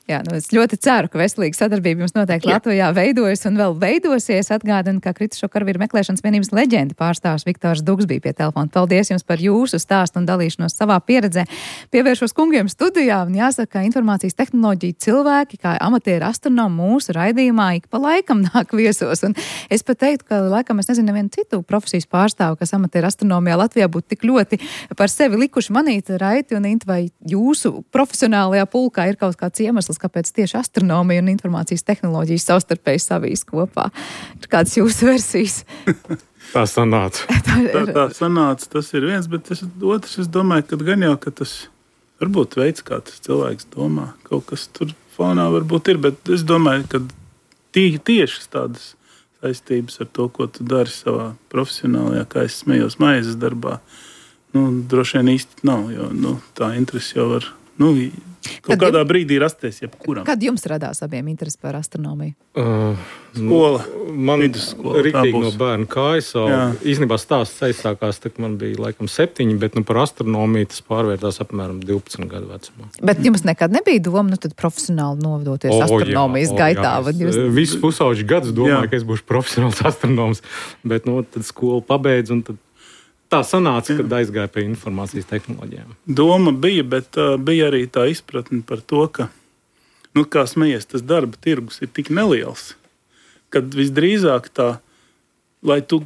Speaker 2: Jā, nu es ļoti ceru, ka veselīga sadarbība jums noteikti Jā. Latvijā veidojas un vēl veidosies. Atgādinu, ka kritušo karavīru meklēšanas vienības leģenda pārstāvs Viktors Dugs bija pie telefona. Paldies jums par jūsu stāstu un dalīšanos savā pieredzē. Pievēršos kungiem studijā un jāsaka, ka informācijas tehnoloģija cilvēki, kā amatieri astronomi mūsu raidījumā ik pa laikam nāk viesos. Un es pat teiktu, ka laikam es nezinu nevienu citu profesijas pārstāvu, kas amatieru astronomijā Latvijā būtu tik ļoti par sevi likuši manīt. Raiti un Inta, vai jūsu profesionālajā pulkā ir kaut kāds iemesls, kāpēc tieši astronomija un informācijas tehnoloģijas savstarpēji savijas kopā? Ir kādas jūsu versijas?
Speaker 9: Tā sanāca.
Speaker 2: tā, ir...
Speaker 10: tā, tā sanāca, tas ir viens, bet es, otrs, es domāju, ka gan jau, ka tas varbūt veids, kā tas cilvēks domā. Kaut kas tur fonā varbūt ir, bet es domāju, ka tie, tieši tādas saistības ar to, ko tu dari savā profesionālajā, kā es smējos maizes darbā, nu, droši vien īsti nav, jo nu, tā interesi jau var, nu, kaut kad kādā jums, brīdī rasties jebkuram.
Speaker 2: Kad jums radās abiem interesi par astronomiju?
Speaker 9: Uh,
Speaker 10: skola.
Speaker 9: Man riktīgi no bērna kājas. Īstenībā stāsts aizsākās, tad man bija laikam septiņi, bet nu, par astronomiju tas pārvērtās apmēram divpadsmit gadu vecumā.
Speaker 2: Bet jums nekad nebija doma, nu tad profesionāli novadoties o, astronomijas jā, gaitā?
Speaker 9: O, jā, jūs... Visus pusauģi gadus domāju, jā. Ka es būšu profesionāls astronoms, bet nu, tad skolu pabeidzu un tad tā sanāca, kad aizgāja pie informācijas tehnoloģijām.
Speaker 10: Doma bija, bet uh, bija arī tā izpratne par to, ka, nu, kā smejies, tas darba tirgus ir tik neliels, kad visdrīzāk tā, lai tu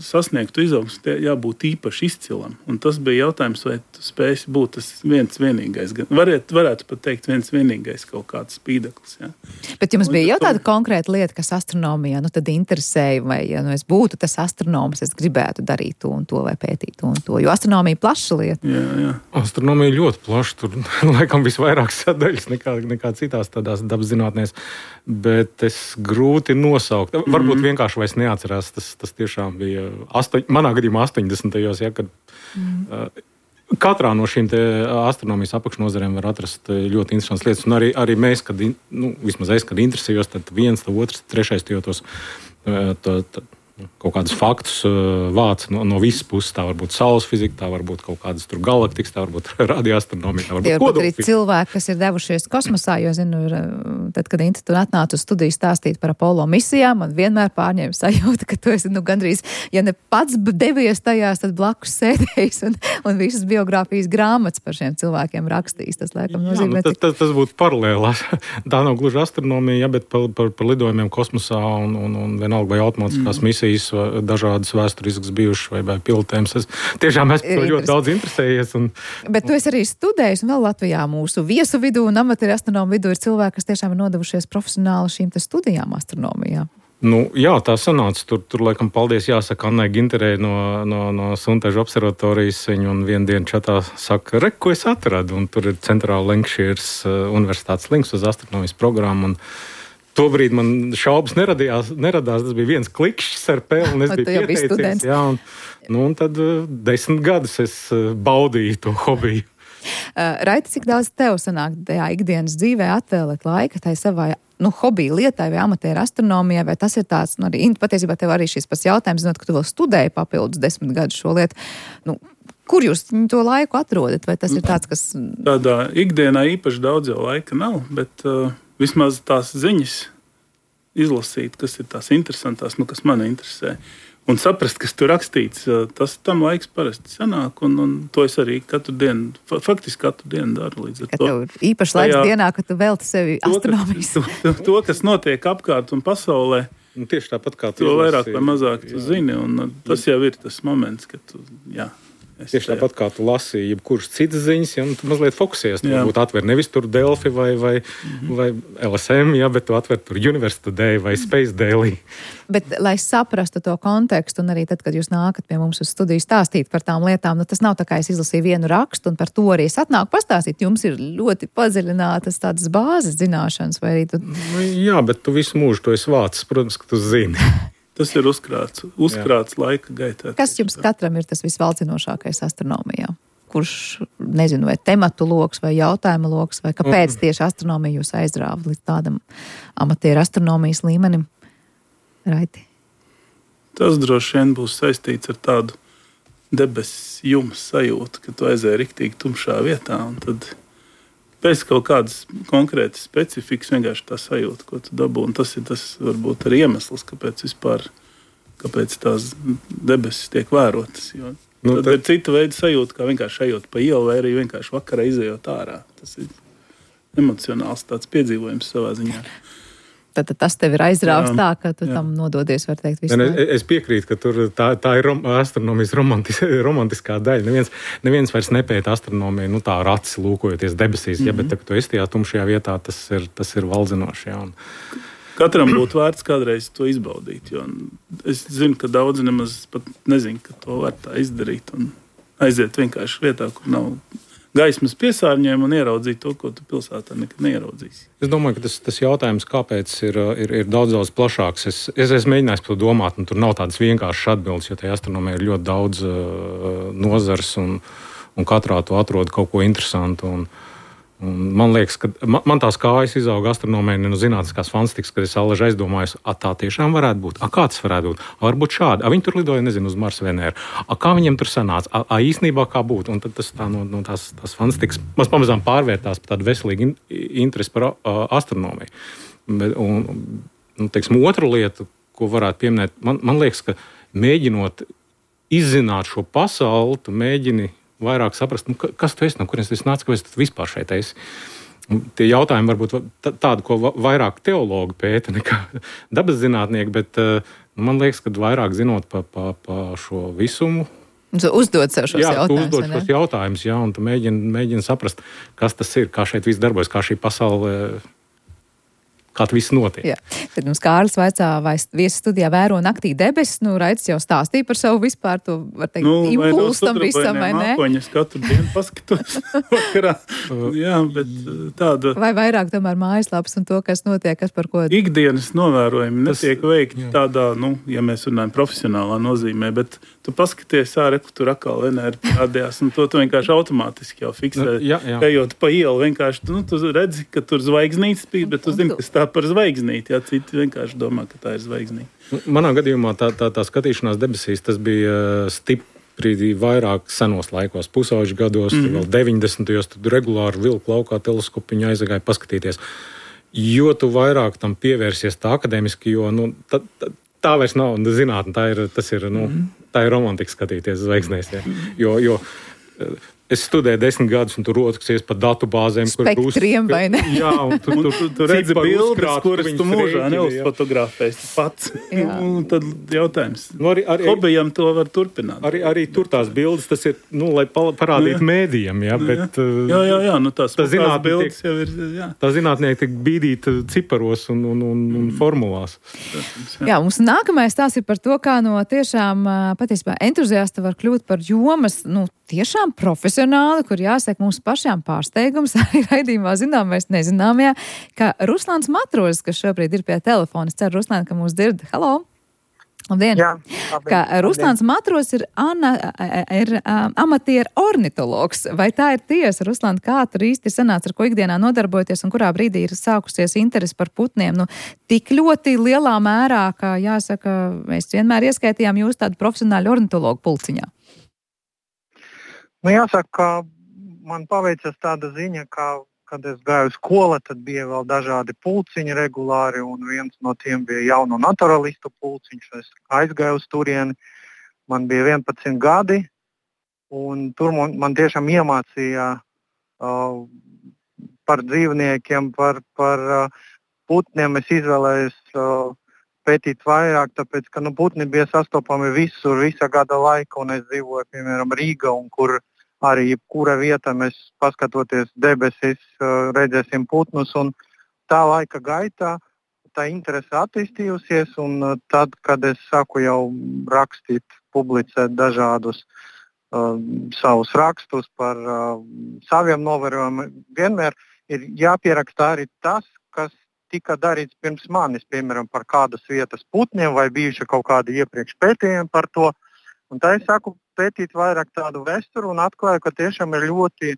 Speaker 10: sasniegtu izaugsmi, jābūt īpaši izcilam. Un tas bija jautājums, vai tu spēsi būt tas viens vienīgais. Varētu, varētu pat teikt viens vienīgais kaut kāds spīdeklis. Ja?
Speaker 2: Bet jums bija jau tāda konkrēta lieta, kas astronomijā nu, tad interesēja, vai ja nu, es būtu tas astronoms, es gribētu darīt to un to vai pētīt to un to, jo astronomija plaša lieta.
Speaker 10: Jā, jā.
Speaker 9: Astronomija ļoti plaša, tur laikam visvairāk sadaļas nekā, nekā citās tādās dabaszinātnēs, bet es grūti nosaukt. Varbūt mm. vienkārši vairs neatcerās, tas Tas tiešām bija astoņ, manā gadījumā astoņdesmitajos, ja, kad mm. uh, katrā no šīm astronomijas apakšnozarēm var atrast ļoti interesantas lietas. Un arī, arī mēs, kad, nu, vismaz es, kad interesējos, tad viens, tad otrs, trešais tos uh, to, to, kaut kādus faktus uh, vāc no, no visas puses. Tā var būt saules fizika, tā var būt kaut kādas tur galaktikas, tā var būt radioastronomija, tā var būt kodolfizika.
Speaker 2: Arī cilvēki, kas ir devušies kosmosā, jo, zinu, tad, kad Inta tu atnāca uz studiju stāstīt par Apollo misijām, man vienmēr pārņēma sajūta, ka tu esi, nu, gandrīz, ja ne pats devies tajās, tad blakus sēdējis un, un visas biogrāfijas grāmatas par šiem cilvēkiem rakstījis. Tas, laikam, nozīmē,
Speaker 9: Jā, nu, tas, tas, tas būtu paralēli. Tā nav gluži astronomija, ja, bet par, par, par lidojumiem kosmosā un, un, un vienalga vai automātiskās mm. misijas, dažādas vēsturiskas bijušas vai, vai pilotējums. Es tiešām esmu ļoti daudz interesējies. Un,
Speaker 2: bet tu esi arī studējis, un vēl Latvijā mūsu viesu vidū un amatieru astronomu vidū ir cilvēki, kas tiešām ir nodevušies profesionāli šīm te studijām astronomijā.
Speaker 9: Nu, jā, tā sanāca. Tur, tur laikam, paldies jāsaka Annai Ginterei no, no, no Suntežu observatorijas. Viņa un vienu dienu čatā saka, re, ko es atradu. Un tur ir centrāla Lancashires universitātes links uz astronomijas programmu. Un tobrīd man šaubas neradījās, neradās. Tas bija viens klikšķis ar pēli, un es biju pieteicies. Jā, un, nu, un tad desmit gadus es baudīju to hobiju.
Speaker 2: Uh, Raiti, cik daudz tev sanāk tajā ikdienas dzīvē atvēlēt laika tai savai nu, hobiju lietai vai amatieru astronomijai, vai tas ir tāds, nu, arī, patiesībā tev arī šis pats jautājums, zinot, ka tu vēl studēji papildus desmit gadus šo lietu, nu, kur jūs to laiku atrodat, vai tas ir tāds, kas...
Speaker 10: Tādā ikdienā īpaši daudz jau laika nav, bet uh, vismaz tās ziņas izlasīt, kas ir tās interesantās, nu, kas mani interesē. Un saprast, kas tur rakstīts, tas tam laiks parasti sanāk, un, un to es arī katru dienu, faktiski katru dienu daru līdz ar
Speaker 2: ka
Speaker 10: to.
Speaker 2: Tev īpaši laiks tajā, dienā, ka tu velti sevi
Speaker 10: to,
Speaker 2: astronomijas.
Speaker 10: Kas, to, to, kas notiek apkārt un pasaulē,
Speaker 9: un tieši tāpat kā tu
Speaker 10: to
Speaker 9: izlasi,
Speaker 10: vairāk vai mazāk tu jā. zini, un tas jau ir tas moments, kad tu, jā.
Speaker 9: Tieši tāpat kā tu lasīji jebkuras citas ziņas, ja, tu mazliet fokusies. Tu varbūt atver nevis tur Delfi vai, vai, mm-hmm. vai L S M, ja, bet tu atver tur University Day vai Space Daily.
Speaker 2: Bet, lai saprastu to kontekstu, un arī tad, kad jūs nākat pie mums uz studiju stāstīt par tām lietām, nu tas nav tā kā es izlasīju vienu rakstu, un par to arī es atnāku pastāstīt. Jums ir ļoti padziļinātas tādas bāzes zināšanas, vai arī tu...
Speaker 9: Nu, jā, bet tu visu mūžu to esi vācis, protams, ka tu zini.
Speaker 10: Tas ir uzkrāts, uzkrāts laika gaitā.
Speaker 2: Kas jums katram ir tas visvalcinošākais astronomijā? Kurš, nezinu, vai tematu loks, vai jautājuma loks, vai kāpēc tieši astronomija jūs aizrāva līdz tādam amatieru astronomijas līmenim? Raiti?
Speaker 10: Tas droši vien būs saistīts ar tādu debesis jums sajūtu, ka tu aizēji riktīgi tumšā vietā, un tad pēc kaut kādas konkrētas specifikas vienkārši tā sajūta, ko tu dabū. Un tas ir tas, varbūt, arī iemesls, kāpēc vispār, kāpēc tās debesis tiek vērotas. Jo nu, tad, tad ir cita veida sajūta, kā vienkārši ejot pa ielu, vai arī vienkārši vakarā izejot ārā. Tas ir emocionāls tāds piedzīvojums savā ziņā.
Speaker 2: Tad, tad tas tev ir aizrāvis tā, ka tu jā. tam nododies, var teikt, visu.
Speaker 9: Es, es piekrītu, ka tur tā, tā ir rom, astronomijas romantis, romantiskā daļa. Neviens, neviens vairs nepēta astronomiju, nu tā ar acis lūkojoties debesīs, mm-hmm. ja, bet tad, kad tu esi tajā tumšajā vietā, tas ir, tas ir valdzinoši. Jā, un...
Speaker 10: Katram būtu vērts kādreiz to izbaudīt, jo es zinu, ka daudzi nemaz pat nezinu, ka to var tā izdarīt un aiziet vienkārši vietā, kur nav gaismas piesārņojumu un ieraudzīt to, ko tu pilsētā nekad neieraudzīs.
Speaker 9: Es domāju, ka tas, tas jautājums, kāpēc ir, ir, ir daudz, daudz plašāks. Es, es esmu mēģinājis par to domāt, un tur nav tādas vienkāršas atbildes, jo tajā astronomijā ir ļoti daudz uh, nozars, un, un katrā tu atrod kaut ko interesantu. Un, un man liekas, ka man, man tās kājas izauga astronomijā no zinātniskās fantastikas, kad es allaži aizdomājos, a tā tiešām varētu būt, a kā tas varētu būt, a varbūt šādi, a viņi tur lidoja, nezinu, uz Marsu Venēru, a kā viņiem tur sanāca, a, a īstenībā kā būtu, un tad tas tā no, no tās, tās fantastikas, mums pamazām pārvērtās par tādu veselīgu in, interesi par a, astronomiju. Bet, un, un, teiksim, otra lieta, ko varētu pieminēt, man, man liekas, ka mēģinot izzināt šo pasauli, tu mēģini vairāk saprast, nu, kas tu esi, no kurienes tu nāc, kāpēc tu vispār šeit esi. Tie jautājumi varbūt tādi, ko vairāk teologi pēta nekā dabas zinātnieki, bet man liekas, ka vairāk zinot pa, pa, pa šo visumu.
Speaker 2: Uzdod sev šos
Speaker 9: jā,
Speaker 2: jautājumus.
Speaker 9: Jā, tu uzdod šos jautājumus, jā, un tu mēģini, mēģini saprast, kas tas ir, kā šeit viss darbojas, kā šī pasaule... kā tas viss notiek. Jā.
Speaker 2: Tad mums Kārlis vaicā, vai viesis studijā vēro naktī debesis, nu, Raitis jau stāstīja par savu vispār to, var teikt,
Speaker 10: nu,
Speaker 2: impulsu tam visam, vai ne?
Speaker 10: Mākoņas katru dienu paskatos vakarā. Jā, bet tāda...
Speaker 2: Vai vairāk tomēr mājaslapas un to, kas notiek, kas par ko...
Speaker 10: Ikdienas novērojumi netiek veikti tādā, nu, ja mēs runājam profesionālā nozīmē, bet tu paskaties ārā, kur tur atkal Venēra parādījās, un to tu vienkārši automātiski jau fiksē.
Speaker 9: Jā, jā.
Speaker 10: Ejot pa ielu, vienkārši, nu, tu redzi, ka tur zvaigznītes spīd, bet tu zini, kas tā par zvaigznīti, jā, citi vienkārši domā, ka tā ir zvaigznīte.
Speaker 9: Manā gadījumā tā, tā, tā skatīšanās debesīs, tas bija stipri vairāk senos laikos, pusauģu gados, mm-hmm. vēl deviņdesmitajos, tad regulāri vilku laukā teleskopiņu aizgāja paskatīties. Jo tu vairāk tam pievērsies tā akadēmiski, jo, nu, tā, tā, tā vairs nav zinātne, tā ir, tas ir, nu, mm-hmm. tā ir romantika skatīties zvaigznēs, jā. Jo, jo es studēju desmit gadus, un tur rotaksies pa datu bāzēm.
Speaker 2: Spektriem, vai ne?
Speaker 10: Jā, un tu, tu, tu, tu redzi bildes, kuras tu mūžā neuzfotografēsi pats. Un tad jautājums.
Speaker 9: Nu, arī, arī,
Speaker 10: Hobijam to var turpināt.
Speaker 9: Arī, arī tur tās bildes, tas ir, nu, lai parādītu jā. mēdījiem, jā, bet...
Speaker 10: Jā, jā, jā, nu tās
Speaker 9: tā
Speaker 10: bildes jau ir, jā.
Speaker 9: Tā zinātnieki tiek bīdīta ciparos un, un, un, un formulās.
Speaker 2: Jā. jā, mums nākamais tās ir par to, kā no tiešām patiesībā entuziasta var kļūt par jomas, nu, tiešām profesionāli, kur jāsaka mums pašām pārsteigums, arī raidījumā zināmais nezināmajā, ka Ruslāns Matrozis, kas šobrīd ir pie telefona, es ceru, Ruslān, ka mūs dzird. Halo! Labdien!
Speaker 11: Jā, labdien.
Speaker 2: Kā Ruslāns Matros ir, ana, ir um, amatieru ornitologs. Vai tā ir tiesa, Ruslān, kā tur īsti sanāca, ar ko ikdienā nodarbojoties un kurā brīdī ir sākusies interesi par putniem? Nu, tik ļoti lielā mērā, ka, jāsaka, mēs vienmēr ieskaitījām jūs tādu profesionāļu ornitologu pulciņā.
Speaker 11: Nu, jāsaka, ka man paveicas tāda ziņa, ka kad es gāju skolā, tad bija vēl dažādi pulciņi regulāri, un viens no tiem bija jauno naturalistu pulciņš. Es aizgāju uz turieni, man bija vienpadsmit gadi, un tur man, man tiešām iemācīja uh, par dzīvniekiem, par, par uh, putniem. Es izvēlējos uh, pētīt vairāk, tāpēc, ka nu, putni bija sastopami visur, visa gada laika, un es dzīvoju, piemēram, Rīgā, un kur arī jebkura vieta mēs paskatoties debesis, redzēsim putnus, un tā laika gaitā tā interese attīstījusies, un tad, kad es sāku jau rakstīt, publicēt dažādus uh, savus rakstus par uh, saviem novērojumiem, vienmēr ir jāpierakstā arī tas, kas tika darīts pirms manis, piemēram, par kādas vietas putniem, vai bijuši kaut kādi iepriekš pētījumi par to. Un tā es sāku pētīt vairāk tādu vēsturu un atklāju, ka tiešām ir ļoti,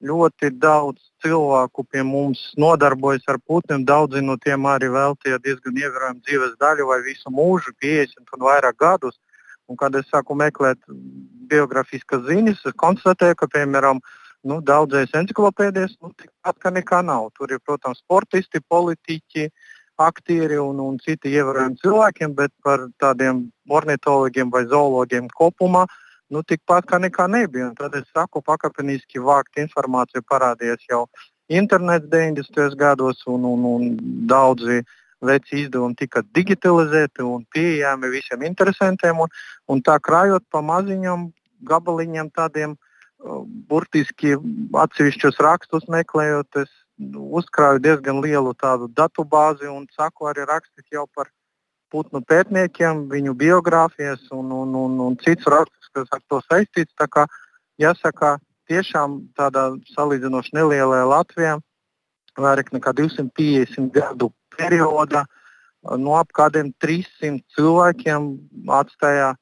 Speaker 11: ļoti daudz cilvēku pie mums nodarbojas ar putniem. Daudzi no tiem arī veltīja diezgan ievērojumu dzīves daļu vai visu mūžu, piecdesmit un vairāk gadus. Un kad es sāku meklēt biografiskas ziņas, es konstatēju, ka, piemēram, nu, daudzais enciklopēdijas, nu, tikpat kā nekā nav. Tur ir, protams, sportisti, politiķi, aktieri un, un citi ievērojami cilvēkiem, bet par tādiem ornitologiem vai zoologiem kopumā, nu, tikpat kā nekā nebija. Un tad es saku, pakāpeniski vākt informāciju parādījās jau internets deviņdesmitajos gados, un, un, un daudzi veci izdevumi tika digitalizēti un pieejami visiem interesantiem, un, un tā krājot pa maziņam gabaliņiem tādiem uh, burtiski atsevišķus rakstus meklējot, es uzkrāju diezgan lielu tādu datu bāzi un saku arī rakstīt jau par putnu pētniekiem, viņu biogrāfijas un, un, un, un cits rakstus, kas ar to saistīts. Tā kā jāsaka, tiešām tādā salīdzinoši nelielajā Latvijā, vairāk nekā divsimt piecdesmit gadu periodā, no ap kādiem trīssimt cilvēkiem atstāja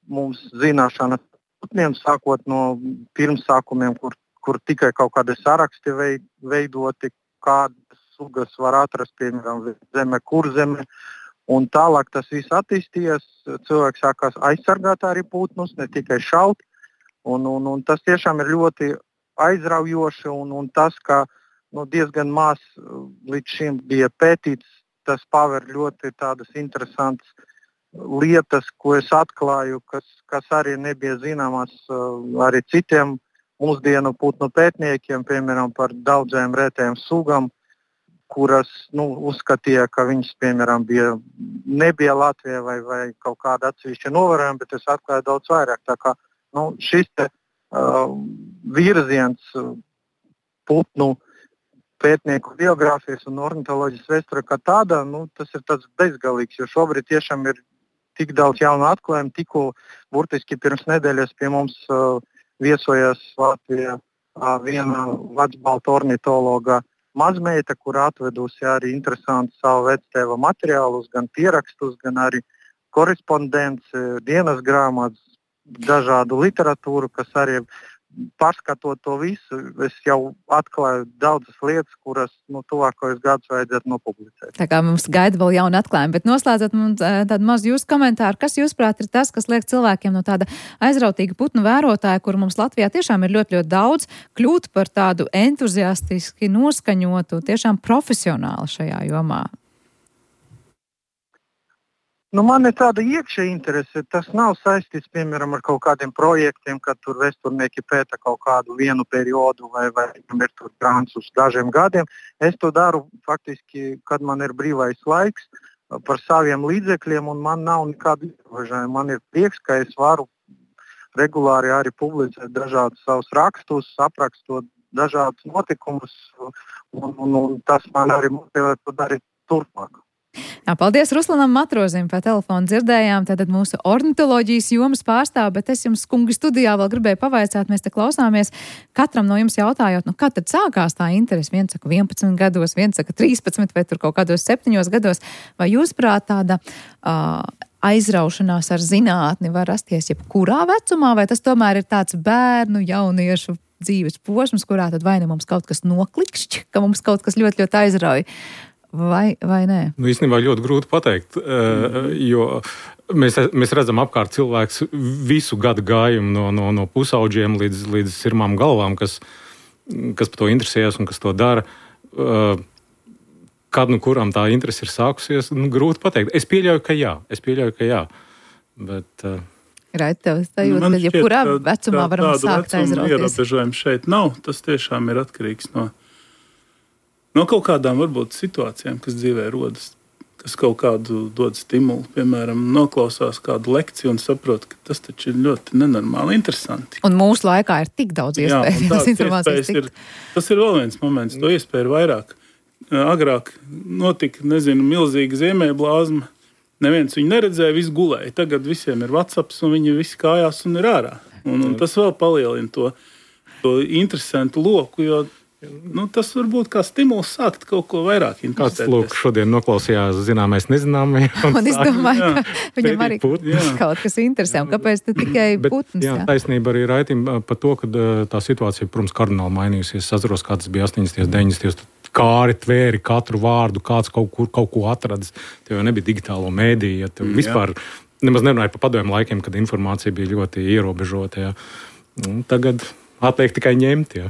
Speaker 11: mums zināšanas putniem, sākot no pirmsākumiem, kur kur tikai kaut kādi saraksti veidoti, kādas sugas var atrast, piemēram, zeme, kur zeme. Un tālāk tas viss attīstījies, cilvēks sākās aizsargāt arī putnus, ne tikai šaut. Un, un, un tas tiešām ir ļoti aizraujoši, un, un tas, ka nu, diezgan maz līdz šim bija pētīts, tas paver ļoti tādas interesantas lietas, ko es atklāju, kas, kas arī nebija zināmas arī citiem mūsdienu putnu pētniekiem, piemēram, par daudziem retējiem sugām, kuras nu, uzskatīja, ka viņas, piemēram, bija, nebija Latvijā vai, vai kaut kāda atsevišķa novērojuma, bet es atklāju daudz vairāk. Tā kā nu, šis te, uh, virziens uh, putnu pētnieku biogrāfijas un ornitoloģijas vēsture kā tāda, nu, tas ir tāds bezgalīgs, jo šobrīd tiešām ir tik daudz jaunu atklājumu, tikko burtiski pirms nedēļas pie mums uh, viesojās Latvijā viena vecbalta ornitologa mazmeita, kur atvedusi arī interesanti savu vectēva materiālus, gan pierakstus, gan arī korespondenci, dienas grāmatas, dažādu literatūru, kas arī pārskatot to visu, es jau atklāju daudzas lietas, kuras nu, tuvākajos gadus vajadzētu nopublicēt.
Speaker 2: Tā kā mums gaida vēl jauna atklājuma, bet noslēdzot mums tādu mazu jūsu komentāru, kas jūsuprāt ir tas, kas liek cilvēkiem no tāda aizrautīga putnu vērotāja, kur mums Latvijā tiešām ir ļoti, ļoti daudz, kļūt par tādu entuziastiski noskaņotu, tiešām profesionāli šajā jomā?
Speaker 11: Nu, man ir tāda iekšēja interese. Tas nav saistīts, piemēram, ar kaut kādiem projektiem, kad tur vēsturnieki pēta kaut kādu vienu periodu vai, vai ir tur grāns uz dažiem gadiem. Es to daru faktiski, kad man ir brīvais laiks par saviem līdzekļiem, un man nav nekādu ierobežojumu. Man ir prieks, ka es varu regulāri arī publicēt dažādus savus rakstus, aprakstot dažādus notikumus, un, un, un tas man arī motivē to darīt turpmāk.
Speaker 2: Jā, paldies Ruslanam Matrozim, pa telefonu dzirdējām, tātad mūsu ornitoloģijas jomas pārstāv, bet es jums, kungi, studijā vēl gribēju pavaicāt, mēs te klausāmies, katram no jums jautājot, nu, kad tad sākās tā interese? Viens saka vienpadsmit gados, viens saka trīspadsmit vai tur kaut kādos septiņos gados, vai jūs prāt tāda uh, aizraušanās ar zinātni var rasties jebkurā vecumā, vai tas tomēr ir tāds bērnu, jauniešu dzīves posms, kurā tad vai ne mums kaut kas noklikšķi, ka mums kaut kas ļoti, ļoti aizrauj, vai, vai nē?
Speaker 9: Nu, īstenībā ļoti grūti pateikt, jo mēs, mēs redzam apkārt cilvēks visu gadu gājumu no, no, no pusauģiem līdz, līdz sirmām galvām, kas, kas par to interesējas un kas to dara. Kad nu kuram tā interese ir sākusies, nu, grūti pateikt. Es pieļauju, ka jā. Es pieļauju, ka jā. Bet, uh...
Speaker 2: Raid, tev sajūta, ka jebkurā vecumā varam sākt aizrauties.
Speaker 10: Ierobežojumi šeit nav. Tas tiešām ir atkarīgs no, no kaut kādām varbūt situācijām, kas dzīvē rodas, kas kaut kādu dod stimulu. Piemēram, noklausās kādu lekciju un saprot, ka tas taču ir ļoti nenormāli interesanti.
Speaker 2: Un mūsu laikā ir tik daudz iespēju.
Speaker 10: Jā, iespējas tik... ir, tas ir vēl viens moments. To iespēju ir vairāk. Agrāk notika, nezinu, milzīga ziemeļblāzma. Neviens viņu neredzēja, viss gulēja. Tagad visiem ir WhatsApps un viņi visi kājās un ir ārā. Un, un tas vēl palielina to, to interesantu loku, jo nu, tas var būt kā stimuls sākt kaut ko vairāk interesēties.
Speaker 9: Kāds lūk šodien noklausījās zināmais nezināmais.
Speaker 2: Un, un es domāju, jā, ka viņam arī putns. Kaut kas interesē. Un kāpēc te tikai putns?
Speaker 9: Jā, jā, taisnība arī Raitim par to, ka tā situācija, protams, kardināli mainījusies. Es atceros, kā tas bija astoņdesmitajos, deviņdesmitajos. Kāri tvēri katru vārdu, kāds kaut, kur, kaut ko atradis. Tev jau nebija digitālo mēdīju. Ja tev vispār nemaz nerunāja par padomju laikiem, kad informācija bija ļoti ierobežota. Ja. Tagad atliek tikai ņemt. Ja.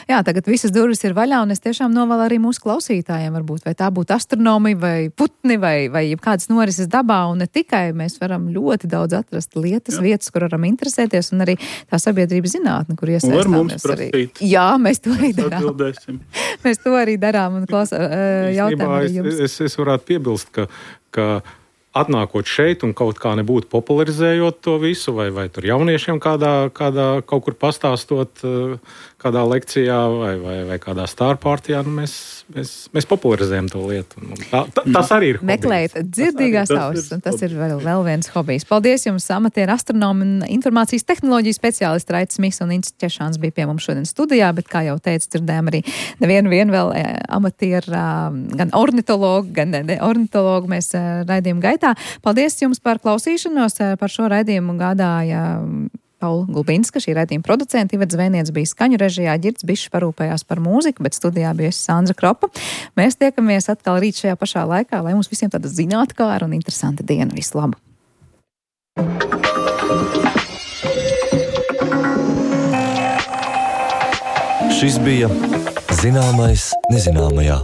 Speaker 2: Jā, tagad visas durvis ir vaļā, un es tiešām novēlu arī mūsu klausītājiem, varbūt, vai tā būtu astronomija, vai putni, vai, vai kādas norises dabā, un ne tikai mēs varam ļoti daudz atrast lietas, jā. Vietas, kur varam interesēties, un arī tā sabiedrības zinātne, kur iesaistāmies arī. Jā, mēs to arī darām. Mēs to arī darām, un klausā, jautājam arī jums.
Speaker 9: Es, es varētu piebilst, ka, ka atnākot šeit un kaut kā nebūtu popularizējot to visu, vai, vai tur jauniešiem kādā, kādā kaut kur pastāstot, kādā lekcijā vai, vai, vai kādā stārpārtijā, nu mēs, mēs, mēs popularizējam to lietu. Tā, tā, tas arī ir hobijs.
Speaker 2: Meklēt dzirdīgās ausis, un tas ir vēl, vēl viens hobijs. Paldies jums, amatieru astronomi un informācijas tehnoloģiju speciālisti Raits Smits un Ints Češāns bija pie mums šodien studijā, bet, kā jau teicu, dzirdējām arī nevienu vienu vēl amatieru, gan ornitologu, gan ne ornitologu mēs raidījumu gaitā. Paldies jums par klausīšanos. Par šo raidījumu gādāja Paula Gulbinska, šī raidījuma producenta. Ivets Zvēniec bija skaņu režijā, Ģirds Bišs parūpējās par mūziku, bet studijā bija Sandra Kropa. Mēs tiekamies atkal rīt šajā pašā laikā, lai mums visiem tāda zinātkāra un interesanta diena. Visu labu!
Speaker 1: Šis bija Zināmais nezināmajā.